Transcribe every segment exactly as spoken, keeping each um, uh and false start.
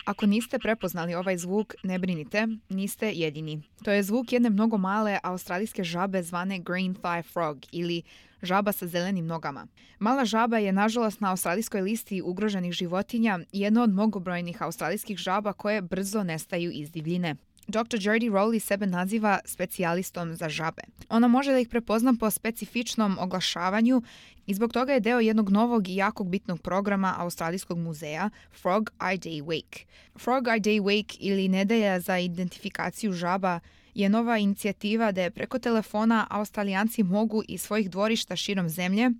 Ako niste prepoznali ovaj zvuk, ne brinite, niste jedini. To je zvuk jedne mnogo male australijske žabe zvane green thigh frog ili žaba sa zelenim nogama. Mala žaba je nažalost na australijskoj listi ugroženih životinja i jedna od mnogobrojnih australijskih žaba koje brzo nestaju iz divljine. doktor Jodie Rowley sebe naziva specijalistom za žabe. Ona može da ih prepozna po specifičnom oglašavanju i zbog toga je deo jednog novog i jakog bitnog programa Australijskog muzeja Frog Eye Day Week. Frog Eye Day Week ili Nedelja za identifikaciju žaba je nova inicijativa da preko telefona Australijanci mogu iz svojih dvorišta širom zemlje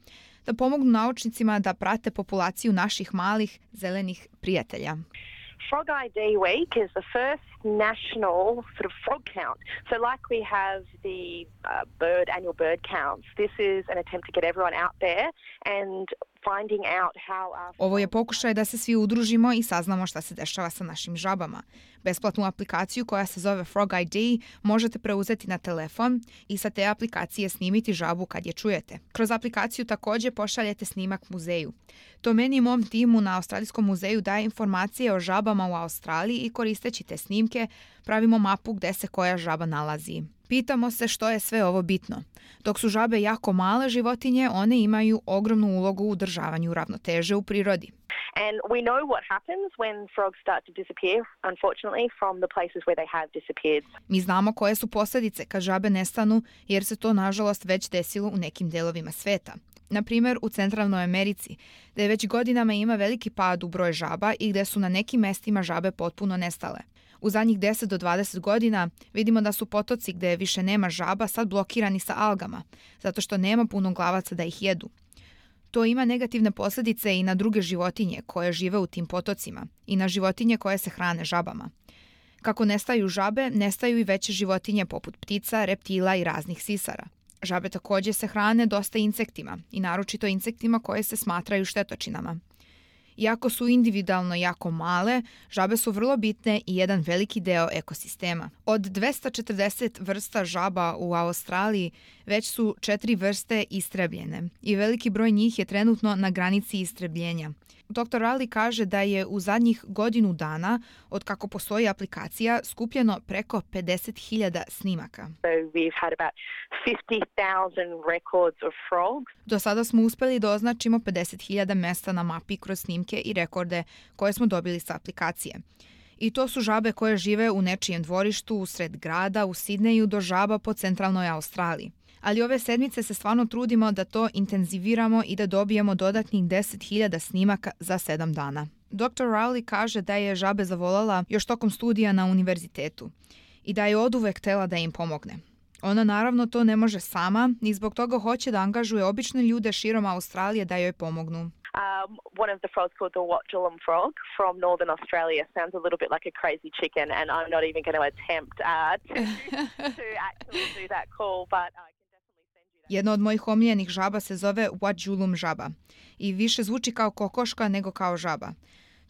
da pomognu naučnicima da prate populaciju naših malih zelenih prijatelja. Frog Eye Day Week is the first national sort of frog count. So like we have the uh, bird annual bird counts, this is an attempt to get everyone out there and finding out how our... Ovo je pokušaj da se svi udružimo i saznamo šta se dešava sa našim žabama. Besplatnu aplikaciju koja se zove Frog Eye Day možete preuzeti na telefon i sa te aplikacije snimiti žabu kad je čujete. Kroz aplikaciju također pošaljete snimak muzeju. To meni i mom timu na Australijskom muzeju daje informacije o žabama u Australiji i koristeći te snimke pravimo mapu gde se koja žaba nalazi. Pitamo se što je sve ovo bitno. Dok su žabe jako male životinje, one imaju ogromnu ulogu u održavanju ravnoteže u prirodi. And we know what happens when frogs start to disappear, unfortunately, from the places where they have disappeared. Mi znamo koje su posljedice kad žabe nestanu, jer se to nažalost već desilo u nekim delovima sveta. Na primjer, u Centralnoj Americi, gdje već godinama ima veliki pad u broj žaba i gdje su na nekim mestima žabe potpuno nestale. U zadnjih deset do dvadeset godina vidimo da su potoci gdje više nema žaba sad blokirani sa algama, zato što nema puno glavaca da ih jedu. To ima negativne posljedice i na druge životinje koje žive u tim potocima i na životinje koje se hrane žabama. Kako nestaju žabe, nestaju i veće životinje poput ptica, reptila i raznih sisara. Žabe također se hrane dosta insektima i naročito insektima koje se smatraju štetočinama. Iako su individualno jako male, žabe su vrlo bitne i jedan veliki deo ekosistema. Od dvesta četrdeset vrsta žaba u Australiji već su četiri vrste istrebljene i veliki broj njih je trenutno na granici istrebljenja. doktor Rowley kaže da je u zadnjih godinu dana, od kako postoji aplikacija, skupljeno preko pedeset hiljada snimaka. So we've had about fifty thousand records of frogs. Do sada smo uspeli da označimo pedeset hiljada mesta na mapi kroz snimke i rekorde koje smo dobili sa aplikacije. I to su žabe koje žive u nečijem dvorištu, usred grada, u Sidneju do žaba po centralnoj Australiji. Ali ove sedmice se stvarno trudimo da to intenziviramo i da dobijemo dodatnih deset hiljada snimaka za sedam dana. doktor Rowley kaže da je žabe zavoljela još tokom studija na univerzitetu i da je oduvek htela da im pomogne. Ona naravno to ne može sama i zbog toga hoće da angažuje obične ljude širom Australije da joj pomognu. Um, one of the frogs called the Watchulum frog from Northern Australia sounds a little bit like a crazy chicken, and I'm not even going to attempt uh, to, to actually do that call, but I can definitely send you that. Jedna od mojih omiljenih žaba se zove Watchulum žaba i više zvuči kao kokoška nego kao žaba.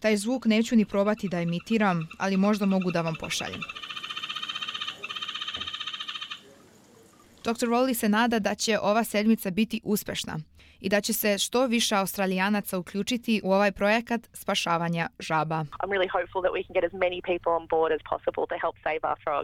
Taj zvuk neću ni probati da imitiram, ali možda mogu da vam pošaljem. doktor Rowley se nada da će ova sedmica biti uspešna i da će se što više Australijanaca uključiti u ovaj projekat spašavanja žaba. I'm really hopeful that we can get as many people on board as possible to help save our frogs.